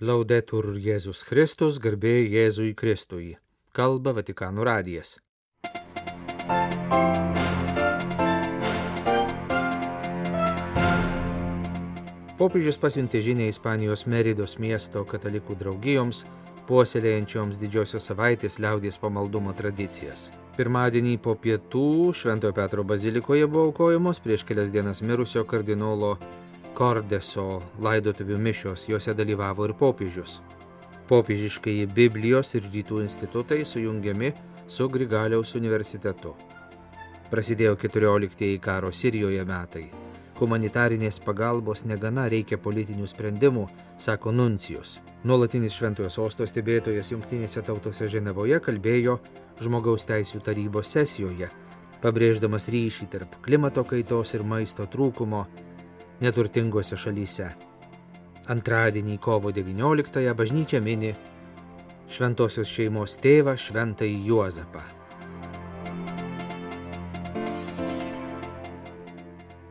Laudetur Jėzus Kristus, garbė Jėzui Kristui. Kalba Vatikano radijas. Popiežius pasiuntė žinią Ispanijos Meridos miesto katalikų draugijoms, puoselėjančioms Didžiosios savaitės liaudies pamaldumo tradicijas. Pirmadienį po pietų Šventojo Petro bazilikoje buvo aukojamos prieš kelias dienas mirusio kardinolo Cordeso laidotuvių mišios, jose dalyvavo ir popiežius. Popiežiškai Biblijos ir rytų institutai sujungiami su Grigaliaus universitetu. Prasidėjo 14 karo Sirijoje metai. Humanitarinės pagalbos negana, reikia politinių sprendimų, sako nuncijus. Nuolatinis Šventojo sosto stebėtojas Jungtinėse tautose Ženevoje kalbėjo Žmogaus teisių tarybos sesijoje, pabrėždamas ryšį tarp klimato kaitos ir maisto trūkumo neturtingose šalyse. Antradienį kovo 19 bažnyčia mini šventosios šeimos tėvą Šventąjį Juozapą.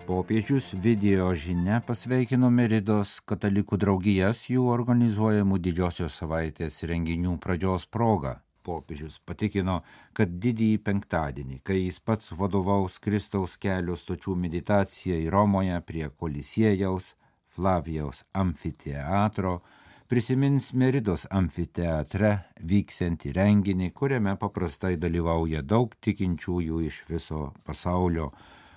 Popiežius video žinia pasveikino Meridos katalikų draugijas jų organizuojamų Didžiosios savaitės renginių pradžios proga. Popiežius patikino, kad didįjį penktadienį, kai jis pats vadovaus Kristaus kelio stočių meditacijai Romoje prie Kolisiejaus, Flavijaus amfiteatro, prisimins Meridos amfiteatre vyksiantį renginį, kuriame paprastai dalyvauja daug tikinčiųjų iš viso pasaulio.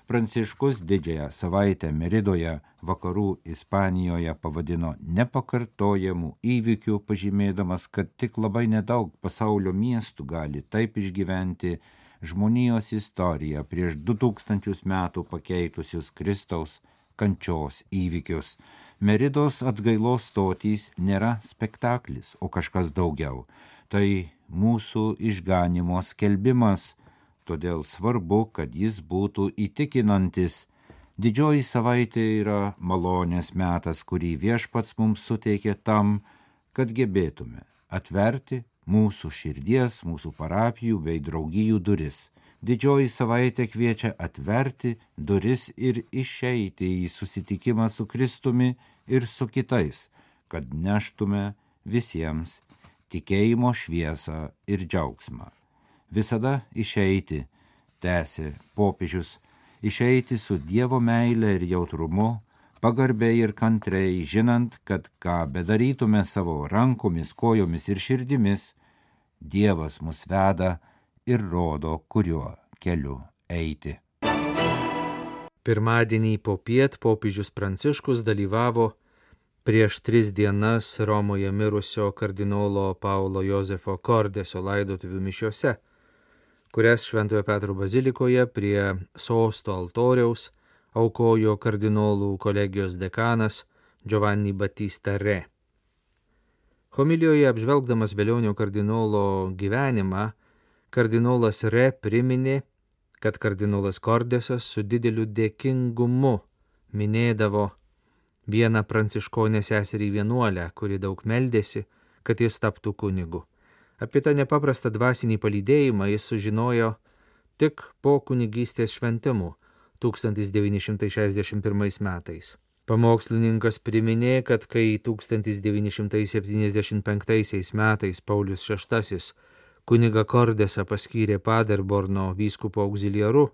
Pranciškus Didžiąją savaitę Meridoje, vakarų Ispanijoje pavadino nepakartojamų įvykių, pažymėdamas, kad tik labai nedaug pasaulio miestų gali taip išgyventi žmonijos istoriją prieš 2000 metų pakeitusius Kristaus kančios įvykius. Meridos atgailos stotys nėra spektaklis, o kažkas daugiau. Tai mūsų išganymo skelbimas. Todėl svarbu, kad jis būtų įtikinantis. Didžioji savaitė yra malonės metas, kurį Viešpats mums suteikė tam, kad gebėtume atverti mūsų širdies, mūsų parapijų bei draugijų duris. Didžioji savaitė kviečia atverti duris ir išeiti į susitikimą su Kristumi ir su kitais, kad neštume visiems tikėjimo šviesą ir džiaugsmą. Visada išeiti, tęsė popiežius, išeiti su Dievo meile ir jautrumu, pagarbiai ir kantriai, žinant, kad ką bedarytume savo rankomis, kojomis ir širdimis, Dievas mus veda ir rodo, kuriuo keliu eiti. Pirmadienį popiet popiežius Pranciškus dalyvavo prieš 3 dienas Romoje mirusio kardinolo Paulo Jozefo Cordeso laidotuvių mišiose, kurias Šventojo Petro bazilikoje prie sosto altoriaus aukojo kardinolų kolegijos dekanas Giovanni Battista Re. Homilijoje apžvelgdamas Velionio kardinolo gyvenimą, kardinolas Re priminė, kad kardinolas Cordesas su dideliu dėkingumu minėdavo vieną pranciškonę seserį vienuolę, kuri daug meldėsi, kad jis taptų kunigu. Apie tą nepaprastą dvasinį palydėjimą jis sužinojo tik po kunigystės šventimų 1961 metais. Pamokslininkas priminė, kad kai 1975 metais Paulius VI kunigą Cordesą paskyrė Paderborno vyskupo auxiliaru,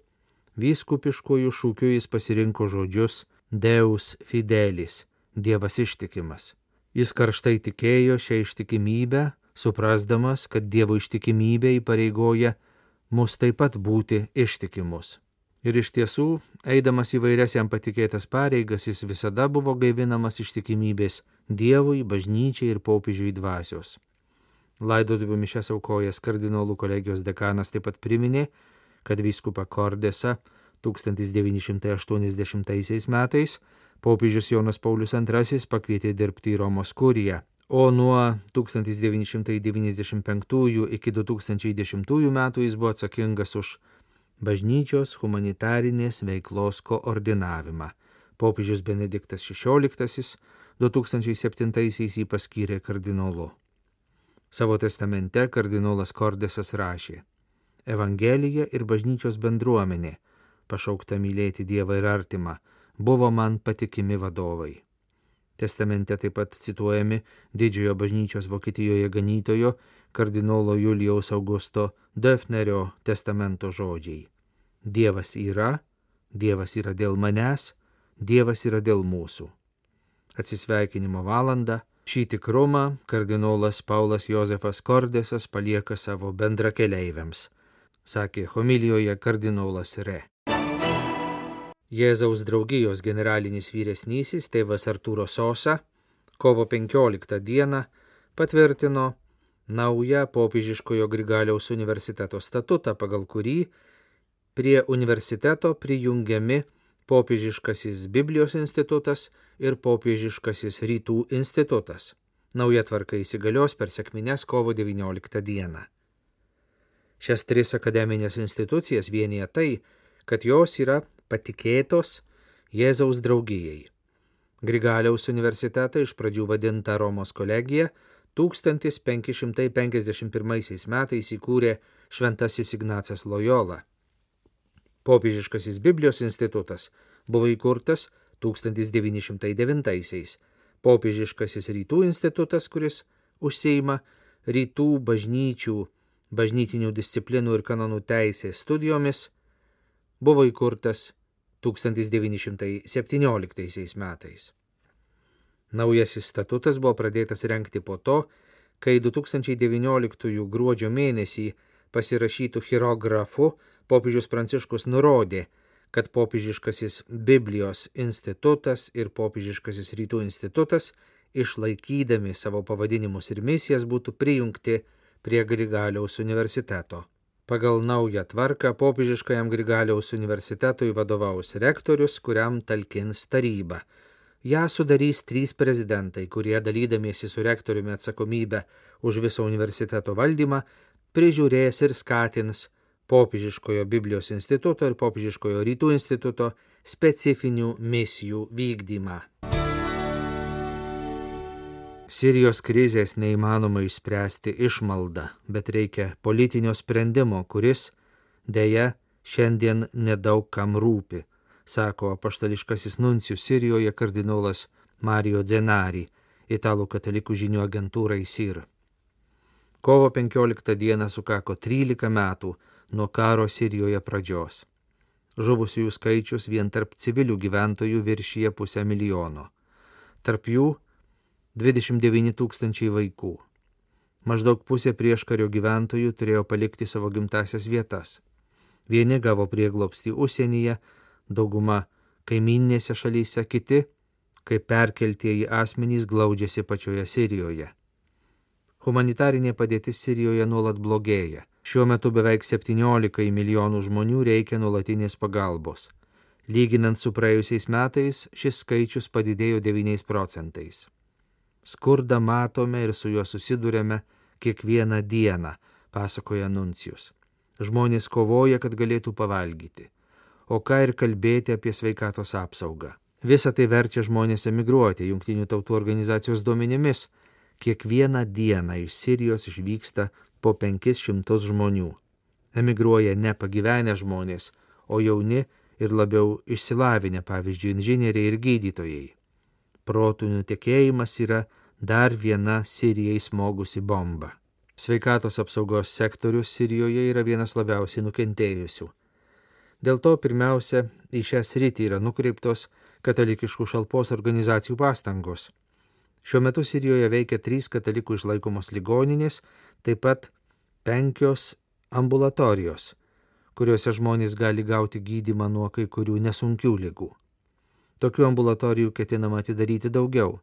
vyskupiškųjų šūkių jis pasirinko žodžius Deus fidelis, Dievas ištikimas. Jis karštai tikėjo šią ištikimybę, suprasdamas, kad Dievo ištikimybė įpareigoja mus taip pat būti ištikimus. Ir iš tiesų, eidamas įvairias jam patikėtas pareigas, jis visada buvo gaivinamas ištikimybės Dievui, bažnyčiai ir popiežiui dvasios. Laidotuvių mišias aukojęs kardinolų kolegijos dekanas taip pat priminė, kad vyskupą Cordesą 1980 metais popiežius Jonas Paulius II pakvietė dirbti į Romos kuriją, o nuo 1995 iki 2010 metų jis buvo atsakingas už bažnyčios humanitarinės veiklos koordinavimą. Popiežius Benediktas XVI 2007 jį paskyrė kardinolu. Savo testamente kardinolas Cordesas rašė: Evangelija ir bažnyčios bendruomenė, pašaukta mylėti Dievą ir artimą, buvo man patikimi vadovai. Testamente taip pat cituojami didžiojo bažnyčios Vokietijoje ganytojo kardinolo Julijaus Augusto Döfnerio testamento žodžiai. Dievas yra dėl manęs, Dievas yra dėl mūsų. Atsisveikinimo valandą. Šį tikrumą kardinolas Paulas Jozefas Kordesas palieka savo bendrakeleiviams, sakė homilijoje kardinolas Re. Jėzaus draugijos generalinis vyresnysis tėvas Artūro Sosa kovo 15 dieną patvirtino naują popiežiškojo Grigaliaus universiteto statutą, pagal kurį prie universiteto prijungiami popiežiškasis Biblijos institutas ir popiežiškasis Rytų institutas. Nauja tvarka įsigalios per sekmines kovo 19 dieną. Šias tris akademinės institucijas vienija tai, kad jos yra patikėtos Jėzaus draugijai. Grigaliaus universitetą iš pradžių vadinta Romos kolegija 1551 metais įkūrė šventasis Ignacas Lojola. Popiežiškasis Biblijos institutas buvo įkurtas 1909-aisiais. Popiežiškasis Rytų institutas, kuris užsiima rytų bažnyčių, bažnytinių disciplinų ir kanonų teisės studijomis, buvo įkurtas 1917 metais. Naujasis statutas buvo pradėtas rengti po to, kai 2019 gruodžio mėnesį pasirašytų chirografu popiežius Pranciškus nurodė, kad popiežiškasis Biblijos institutas ir popiežiškasis Rytų institutas, išlaikydami savo pavadinimus ir misijas, būtų prijungti prie Grigaliaus universiteto. Pagal naują tvarką popiežiškajam Grigaliaus universitetui vadovaus rektorius, kuriam talkins taryba. Ja sudarys 3 prezidentai, kurie dalydamiesi su rektoriumi atsakomybę už visą universiteto valdymą, prižiūrės ir skatins popiežiškojo Biblijos instituto ir popiežiškojo Rytų instituto specifinių misijų vykdymą. Sirijos krizės neįmanoma išspręsti išmalda, bet reikia politinio sprendimo, kuris, deja, šiandien nedaug kam rūpi, sako apaštališkasis nuncijus Sirijoje kardinolas Mario Zenari, italų katalikų žinių agentūrai SIR. Kovo 15 dieną sukako 13 metų nuo karo Sirijoje pradžios. Žuvusiųjų skaičius vien tarp civilių gyventojų viršyje 500 000. Tarp jų 29 000 vaikų. Maždaug pusė prieškario gyventojų turėjo palikti savo gimtasias vietas. Vieni gavo prieglobstį užsienyje, dauguma kaimyninėse šalyse, kiti, kaip perkeltieji asmenys, glaudžiasi pačioje Sirijoje. Humanitarinė padėtis Sirijoje nuolat blogėja. Šiuo metu beveik 17 milijonų žmonių reikia nuolatinės pagalbos. Lyginant su praėjusiais metais, šis skaičius padidėjo 9%. Skurdą matome ir su juo susidurėme kiekvieną dieną, pasakoja nuncijus. Žmonės kovoja, kad galėtų pavalgyti. O ką ir kalbėti apie sveikatos apsaugą. Visa tai verčia žmonės emigruoti. Jungtinių tautų organizacijos duomenimis kiekvieną dieną iš Sirijos išvyksta po 500 žmonių. Emigruoja ne pagyvenę žmonės, o jauni ir labiau išsilavinę, pavyzdžiui, inžinieriai ir gydytojai. Protų nutekėjimas yra dar viena Sirijai smogusi bomba. Sveikatos apsaugos sektorius Sirijoje yra vienas labiausiai nukentėjusių. Dėl to pirmiausia į šią sritį yra nukreiptos katalikiškų šalpos organizacijų pastangos. Šiuo metu Sirijoje veikia 3 katalikų išlaikomos ligoninės, taip pat 5 ambulatorijos, kuriuose žmonės gali gauti gydymą nuo kai kurių nesunkių ligų. Tokių ambulatorijų ketinama atidaryti daugiau.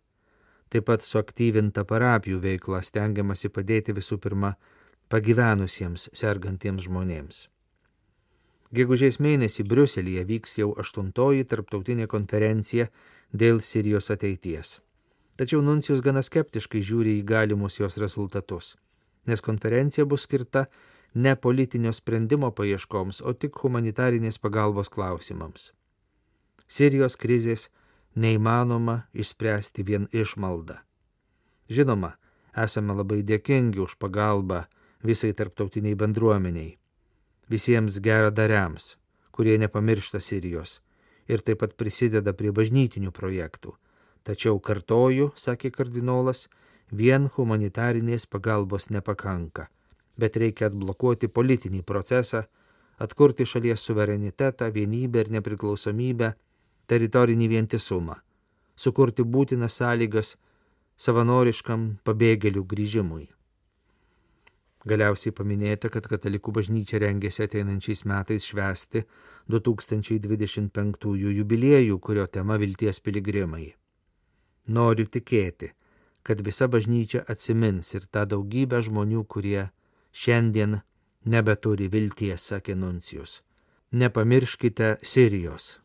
Taip pat suaktyvinta parapijų veikla, stengiamasi padėti visų pirma pagyvenusiems sergantiems žmonėms. Gegužės mėnesį Briuselyje vyks jau 8. tarptautinė konferencija dėl Sirijos ateities. Tačiau nuncijus gana skeptiškai žiūri į galimus jos rezultatus, nes konferencija bus skirta ne politinio sprendimo paieškoms, o tik humanitarinės pagalbos klausimams. Sirijos krizės neįmanoma išspręsti vien išmalda. Žinoma, esame labai dėkingi už pagalbą visai tarptautiniai bendruomeniai, visiems geradariams, kurie nepamiršta Sirijos ir taip pat prisideda prie bažnytinių projektų. Tačiau kartoju, sakė kardinolas, vien humanitarinės pagalbos nepakanka, bet reikia atblokuoti politinį procesą, atkurti šalies suverenitetą, vienybę ir nepriklausomybę, teritorinį vientisumą, sukurti būtinas sąlygas savanoriškam pabėgėlių grįžimui. Galiausiai paminėta, kad katalikų bažnyčia rengėsi ateinančiais metais švęsti 2025 jubiliejų, kurio tema vilties piligrimai. Noriu tikėti, kad visa bažnyčia atsimins ir tą daugybę žmonių, kurie šiandien nebeturi vilties, sakė nuncijus. Nepamirškite Sirijos.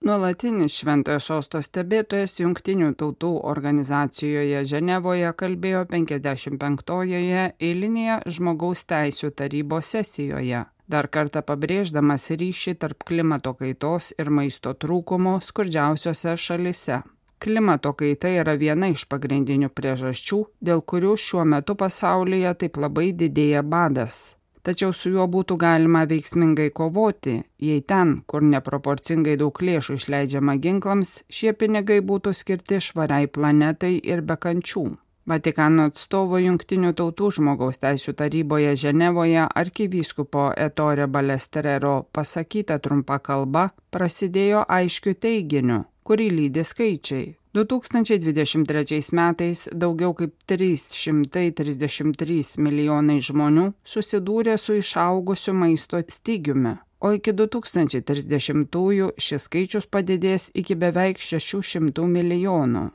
Nuolatinis Šventojo Sosto stebėtojas Jungtinių tautų organizacijoje Ženevoje kalbėjo 55-ojoje eilinėje žmogaus teisių tarybos sesijoje, dar kartą pabrėždamas ryšį tarp klimato kaitos ir maisto trūkumo skurdžiausiose šalise. Klimato kaita yra viena iš pagrindinių priežasčių, dėl kurių šiuo metu pasaulyje taip labai didėja badas. Tačiau su juo būtų galima veiksmingai kovoti, jei ten, kur neproporcingai daug lėšų išleidžiama ginklams, šie pinigai būtų skirti švariai planetai ir be kančių. Vatikano atstovo Jungtinių tautų žmogaus teisių taryboje Ženevoje arkivyskupo Ettore Balestrero pasakyta trumpa kalba prasidėjo aiškiu teiginiu, kurį lydi skaičiai. 2023 metais daugiau kaip 333 milijonai žmonių susidūrė su išaugusiu maisto stygiumi, o iki 2030-ųjų šis skaičius padidės iki beveik 600 milijonų.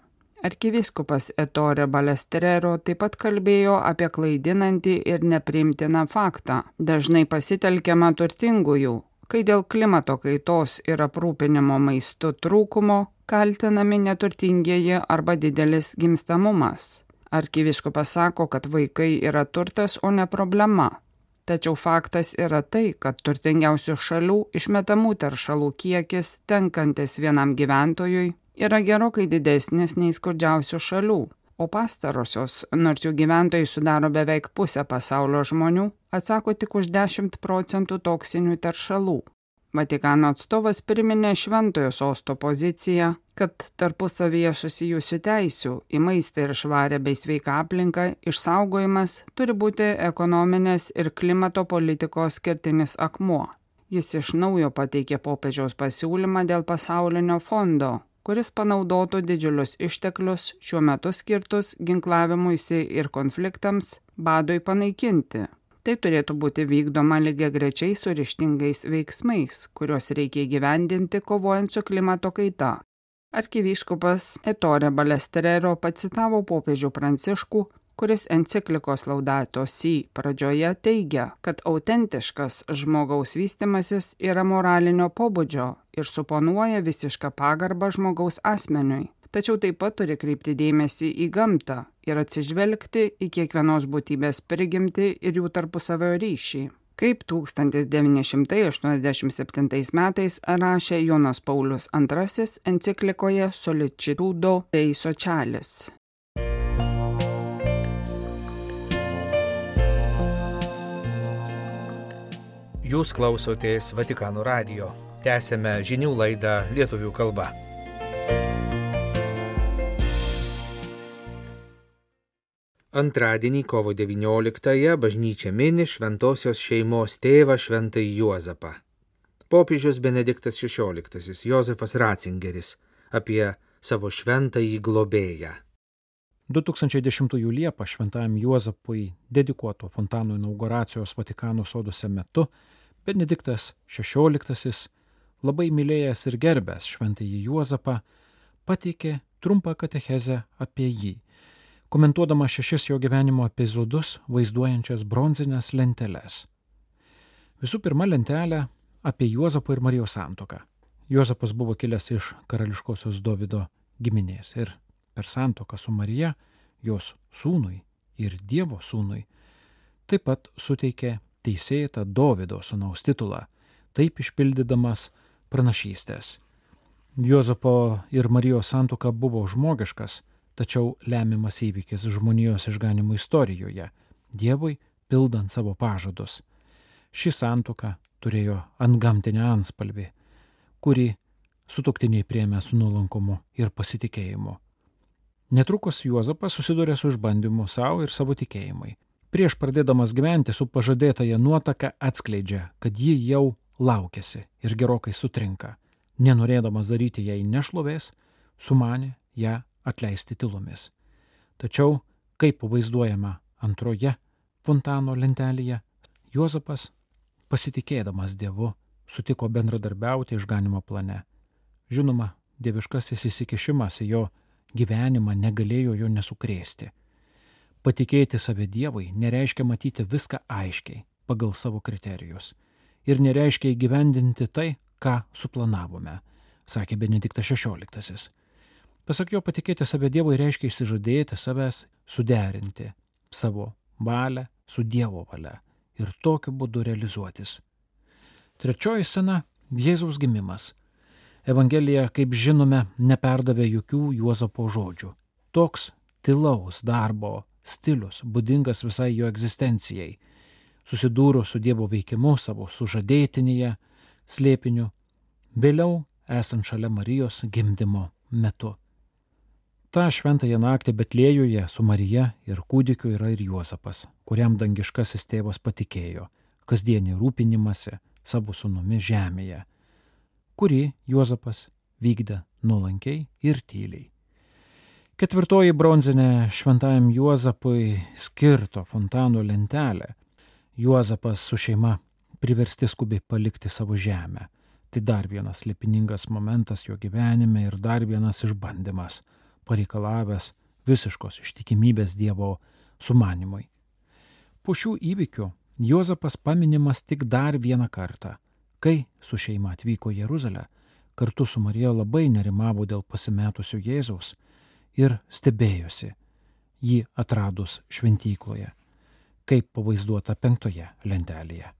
Arkivyskupas Ettore Balestrero taip pat kalbėjo apie klaidinantį ir nepriimtiną faktą, dažnai pasitelkiamą turtingųjų, kai dėl klimato kaitos ir aprūpinimo maistu trūkumo kaltinami neturtingieji arba didelis gimstamumas. Arkivyskupas sako, kad vaikai yra turtas, o ne problema. Tačiau faktas yra tai, kad turtingiausių šalių išmetamų teršalų kiekis tenkantis vienam gyventojui yra gerokai didesnis nei skurdžiausių šalių, o pastarosios, nors jų gyventojai sudaro beveik pusę pasaulio žmonių, atsako tik už 10% toksinių teršalų. Vatikano atstovas priminė Šventojo Sosto poziciją, kad tarpusavyje susijusių teisių į maistą ir švarę bei sveiką aplinką išsaugojimas turi būti ekonominės ir klimato politikos kertinis akmuo. Jis iš naujo pateikė popiežiaus pasiūlymą dėl pasaulinio fondo, kuris panaudotų didžiulius išteklius šiuo metu skirtus ginklavimuisi ir konfliktams badui panaikinti. Tai turėtų būti vykdoma lygiagrečiai su ryžtingais veiksmais, kuriuos reikia įgyvendinti kovojant su klimato kaita. Arkivyskupas Ettore Balestrero pacitavo popiežių Pranciškų, kuris enciklikos Laudato Si pradžioje teigia, kad autentiškas žmogaus vystimasis yra moralinio pobūdžio ir suponuoja visišką pagarbą žmogaus asmeniui. Tačiau taip pat turi kreipti dėmesį į gamtą ir atsižvelgti į kiekvienos būtybės prigimtį ir jų tarpusavio ryšį. Kaip 1987 metais rašė Jonas Paulius II enciklikoje Sollicitudo Dei Socialis. Jūs klausotės Vatikano radijo. Tęsėme žinių laidą lietuvių kalba. Antradienį kovo 19-ąją bažnyčia mini šventosios šeimos tėvą šventąjį Juozapą. Popiežius Benediktas XVI Jozefas Ratzingeris apie savo šventąjį globėją. 2010 Liepą šventajam Juozapui dedikuoto fontano inauguracijos Vatikano soduose metu Benediktas XVI, labai mylėjęs ir gerbęs šventąjį Juozapą, pateikė trumpą katechezę apie jį, komentuodama 6 jo gyvenimo epizodus vaizduojančias bronzines lenteles. Visų pirma lentelė apie Juozapo ir Marijos santuoką. Juozapas buvo kilęs iš karališkosios Dovydo giminės ir per santuoką su Marija, jos sūnui ir Dievo sūnui, taip pat suteikė teisėtą Dovydo sūnaus titulą, taip išpildydamas pranašystės. Juozapo ir Marijos santuoka buvo žmogiškas, tačiau lemiamas įvykis žmonijos išganimo istorijoje, Dievui pildant savo pažadus. Ši santuoka turėjo antgamtinę anspalvį, kuri sutuoktiniai priėmė su nuolankumu ir pasitikėjimu. Netrukus Juozapas susidūrė su išbandymu savo ir savo tikėjimui. Prieš pradėdamas gyventi su pažadėtąja nuotaka atskleidžia, kad ji jau laukiasi ir gerokai sutrinka. Nenorėdamas daryti jai nešlovės, sumanė ją atleisti tylomis. Tačiau, kaip pavaizduojama antroje fontano lentelėje, Juozapas, pasitikėdamas Dievu, sutiko bendradarbiauti išganymo plane. Žinoma, dieviškasis įsikišimas į jo gyvenimą negalėjo jo nesukrėsti. Patikėti save Dievui nereiškia matyti viską aiškiai, pagal savo kriterijus. Ir nereiškia įgyvendinti tai, ką suplanavome, sakė Benediktas XVI. Pasak jo, patikėti save Dievui reiškia išsižadėti savęs, suderinti savo valią su Dievo valia ir tokiu būdu realizuotis. Trečioji scena – Jėzaus gimimas. Evangelija, kaip žinome, neperdavė jokių Juozapo žodžių. Toks tylaus darbo stilius būdingas visai jo egzistencijai. Susidūrus su Dievo veikimu savo sužadėtinėje, slėpiniu, vėliau esant šalia Marijos gimdymo metu. Ta šventąją naktį Betlėjuje su Marija ir kūdikiu yra ir Juozapas, kuriam dangiškasis tėvas patikėjo kasdienį rūpinimąsi savo sūnumi žemėje, kurį Juozapas vykdė nuolankiai ir tyliai. Ketvirtoji bronzinė šventajam Juozapui skirto fontano lentelė. Juozapas su šeima priversti skubiai palikti savo žemę. Tai dar vienas slėpiningas momentas jo gyvenime ir dar vienas išbandymas, pareikalavęs visiškos ištikimybės Dievo sumanimui. Po šių įvykių Juozapas paminimas tik dar vieną kartą, kai su šeima atvyko į Jeruzalę, kartu su Marija labai nerimavo dėl pasimetusio Jėzaus ir stebėjosi jį atradus šventykloje, kaip pavaizduota 5 lentelėje.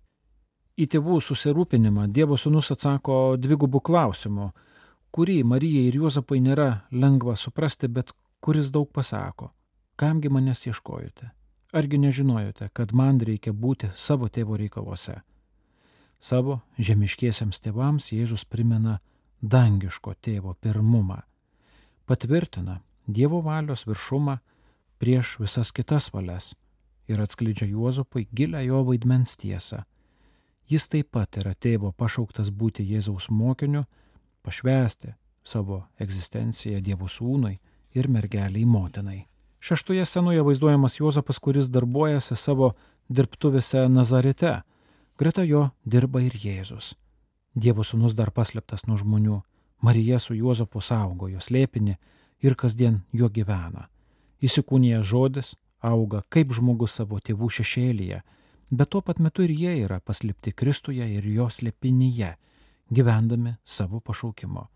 Į tėvų susirūpinimą Dievo sūnus atsako dvigubų klausimų, kurį Marijai ir Juozapai nėra lengva suprasti, bet kuris daug pasako. Kamgi manęs ieškojote? Argi nežinojote, kad man reikia būti savo tėvo reikaluose? Savo žemiškiesiams tėvams Jėzus primena dangiško tėvo pirmumą, patvirtina Dievo valios viršumą prieš visas kitas valias ir atskleidžia Juozapui gilią jo vaidmens tiesą. Jis taip pat yra tėvo pašauktas būti Jėzaus mokiniu, pašvęsti savo egzistenciją Dievo sūnui ir mergeliai motinai. 6 scenoje vaizduojamas Juozapas, kuris darbuojasi savo dirbtuvėse Nazarete. Greta jo dirba ir Jėzus. Dievo sūnus dar paslėptas nuo žmonių. Marija su Juozapu saugo jo slėpinį ir kasdien juo gyvena. Įsikūnijęs žodis auga kaip žmogus savo tėvų šešėlyje, bet tuo pat metu ir jie yra paslėpti Kristuje ir jo slėpinyje, gyvendami savo pašaukimo.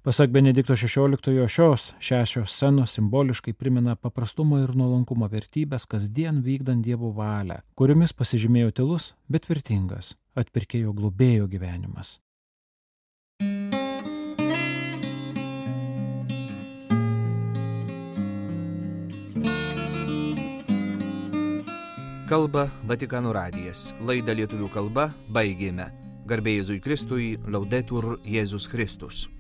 Pasak Benedikto XVI, šios 6 scenos simboliškai primena paprastumo ir nuolankumo vertybės kasdien vykdant Dievo valią, kuriomis pasižymėjo tylus, bet tvirtingas atpirkėjo globėjo gyvenimas. Kalba Vatikano radijas. Laidą lietuvių kalba baigėme. Garbė Jėzui Kristui, Laudetur Jėzus Kristus.